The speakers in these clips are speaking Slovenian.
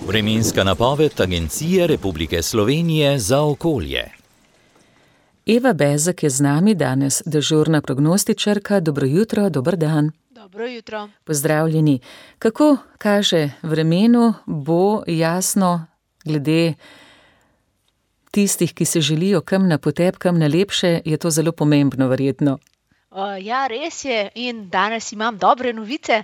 Vremenska napoved Agencije Republike Slovenije za okolje. Eva Bezek je z nami danes, dežurna prognostičarka. Dobro jutro, dober dan. Dobro jutro. Pozdravljeni. Kako kaže vremenu, bo jasno glede tistih, ki se želijo kam na potep, kam na lepše, je to zelo pomembno verjetno. Ja, res je, in danes imam dobre novice.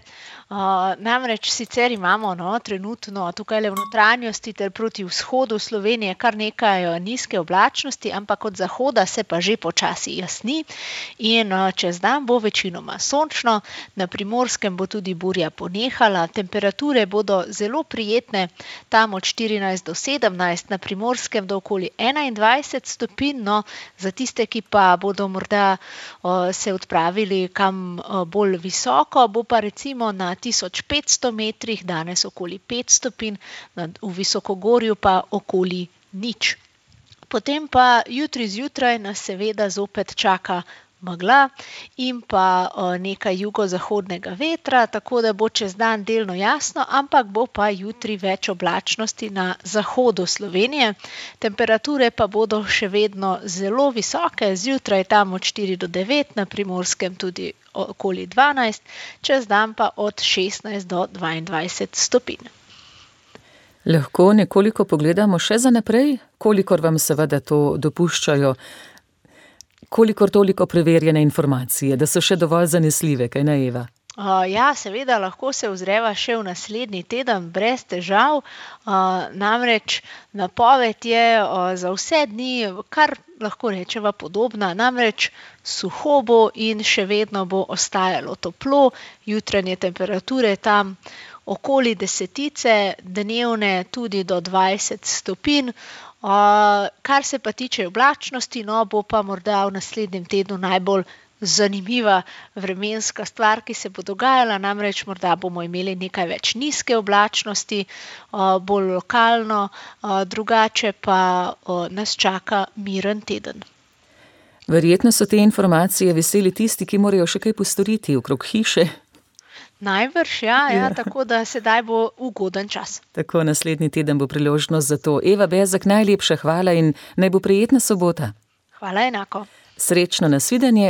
Namreč sicer imamo trenutno tukaj v notranjosti ter proti vzhodu Slovenije kar nekaj nizke oblačnosti, ampak od zahoda se pa že počasi jasni in čez dan bo večinoma sončno, na Primorskem bo tudi burja ponehala, temperature bodo zelo prijetne, tam od 14 do 17, na Primorskem do okoli 21 stopinj, za tiste, ki pa bodo morda se odpravili kam bolj visoko, bo pa recimo na 1500 metrih danes okoli 5 stopinj, v visokogorju pa okoli 0. Potem pa jutri zjutraj nas seveda zopet čaka megla in pa nekaj jugozahodnega vetra, tako da bo čez dan delno jasno, ampak bo pa jutri več oblačnosti na zahodu Slovenije. Temperature pa bodo še vedno zelo visoke, zjutraj tam od 4 do 9, na Primorskem tudi okoli 12, čez dan pa od 16 do 22 stopinj. Lahko nekoliko pogledamo še za naprej, kolikor vam seveda to dopuščajo, kolikor toliko preverjene informacije, da so še dovolj zanesljive, kaj ne, Eva? Ja, seveda, lahko se ozreva še v naslednji teden brez težav, namreč napoved je za vse dni kar lahko rečeva podobna, namreč suho bo in še vedno bo ostajalo toplo, jutranje temperature tam okoli 10, dnevne tudi do 20 stopinj. Kar se pa tiče oblačnosti, bo pa morda v naslednjem tednu najbolj zanimiva vremenska stvar, ki se bo dogajala, namreč morda bomo imeli nekaj več nizke oblačnosti, bolj lokalno, drugače pa nas čaka miren teden. Verjetno so te informacije veseli tisti, ki morajo še kaj postoriti okrog hiše. Najbrž, ja, tako da sedaj bo ugoden čas. Tako, naslednji teden bo priložnost za to. Eva Bezek, najlepša hvala in naj bo prijetna sobota. Hvala enako. Srečno nasvidenje.